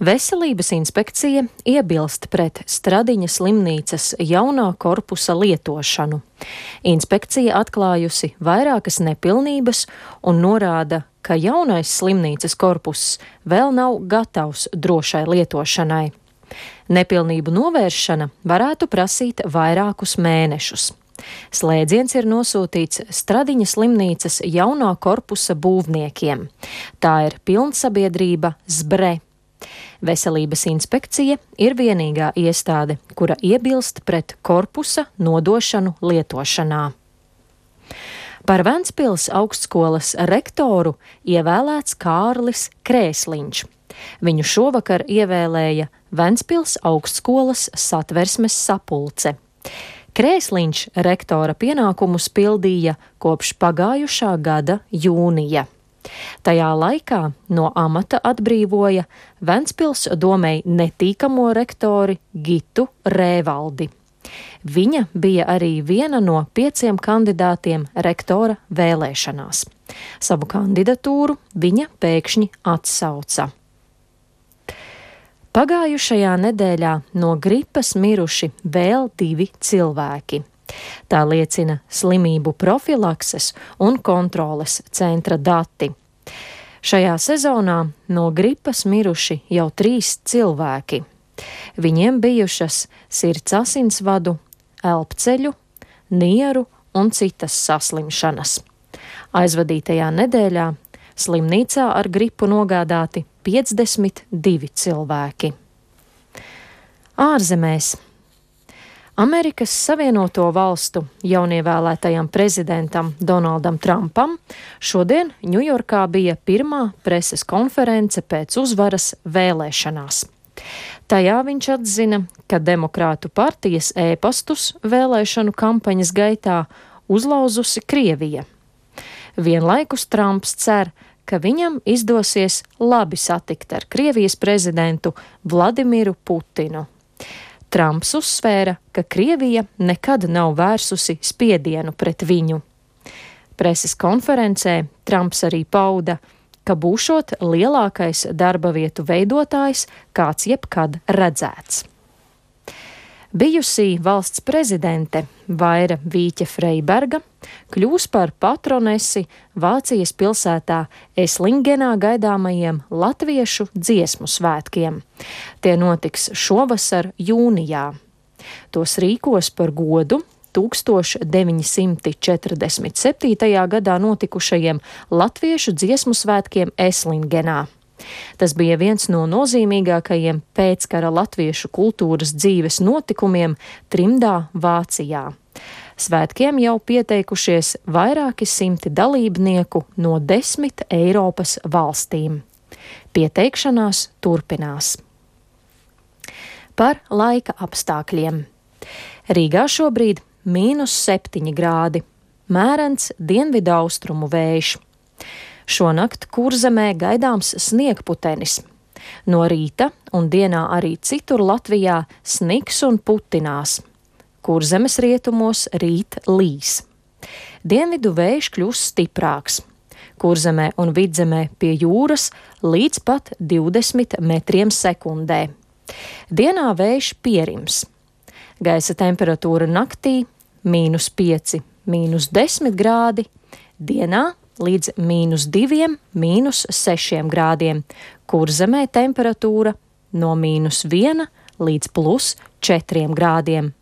Veselības inspekcija iebilst pret Stradiņa slimnīcas jaunā korpusa lietošanu. Inspekcija atklājusi vairākas nepilnības un norāda, ka jaunais slimnīcas korpuss vēl nav gatavs drošai lietošanai. Nepilnību novēršana varētu prasīt vairākus mēnešus. Slēdziens ir nosūtīts Stradiņa slimnīcas jaunā korpusa būvniekiem. Tā ir pilnsabiedrība ZBRE. Veselības inspekcija ir vienīgā iestāde, kura iebilst pret korpusa nodošanu lietošanā. Par Ventspils augstskolas rektoru ievēlēts Kārlis Krēsliņš. Viņu šovakar ievēlēja Ventspils augstskolas satversmes sapulce. Krēsliņš rektora pienākumus pildīja kopš pagājušā gada jūnija. Tajā laikā no amata atbrīvoja Ventspils domei netīkamo rektori Gitu Rēvaldi. Viņa bija arī viena no 5 kandidātiem rektora vēlēšanās. Savu kandidatūru viņa pēkšņi atsauca. Pagājušajā nedēļā no gripas miruši vēl 2 cilvēki. Tā liecina slimību profilakses un kontroles centra dati. Šajā sezonā no gripas miruši jau 3 cilvēki. Viņiem bijušas sirds asinsvadu, elpceļu, nieru un citas saslimšanas. Aizvadītajā nedēļā slimnīcā ar gripu nogādāti 52 cilvēki. Ārzemēs. Amerikas Savienoto Valstu jaunievēlētajam prezidentam Donaldam Trumpam šodien Ņujorkā bija pirmā preses konference pēc uzvaras vēlēšanās. Tajā viņš atzina, ka Demokrātu partijas ēpastus vēlēšanu kampaņas gaitā uzlauzusi Krievija. Vienlaikus Trumps cer, ka viņam izdosies labi satikt ar Krievijas prezidentu Vladimiru Putinu. Trumps uzsvēra, ka Krievija nekad nav vērsusi spiedienu pret viņu. Preses konferencē Trumps arī pauda, ka būšot lielākais darba vietu veidotājs, kāds jebkad redzēts. Bijusī valsts prezidente Vaira Vīķe Freiberga kļūs par patronesi Vācijas pilsētā Eslingenā gaidāmajiem latviešu dziesmu svētkiem. Tie notiks šovasar jūnijā. Tos rīkos par godu 1947. gadā notikušajiem latviešu dziesmu svētkiem Eslingenā. Tas bija viens no nozīmīgākajiem pēckara latviešu kultūras dzīves notikumiem trimdā Vācijā. Svētkiem jau pieteikušies vairāki simti dalībnieku no 10 Eiropas valstīm. Pieteikšanās turpinās. Par laika apstākļiem. Rīgā šobrīd -7 grādi, mērens dienvidu austrumu vējš. Šonakt Kurzemē gaidāms sniegputenis. No rīta un dienā arī citur Latvijā sniks un putinās. Kurzemes rietumos rīt līs. Dienvidu vējš kļūs stiprāks. Kurzemē un Vidzemē pie jūras līdz pat 20 metriem sekundē. Dienā vējš pierims. Gaisa temperatūra naktī -5, -10 grādi, dienā līdz -2, -6 grādiem. Kurzemē temperatūra no -1 līdz +4 grādiem.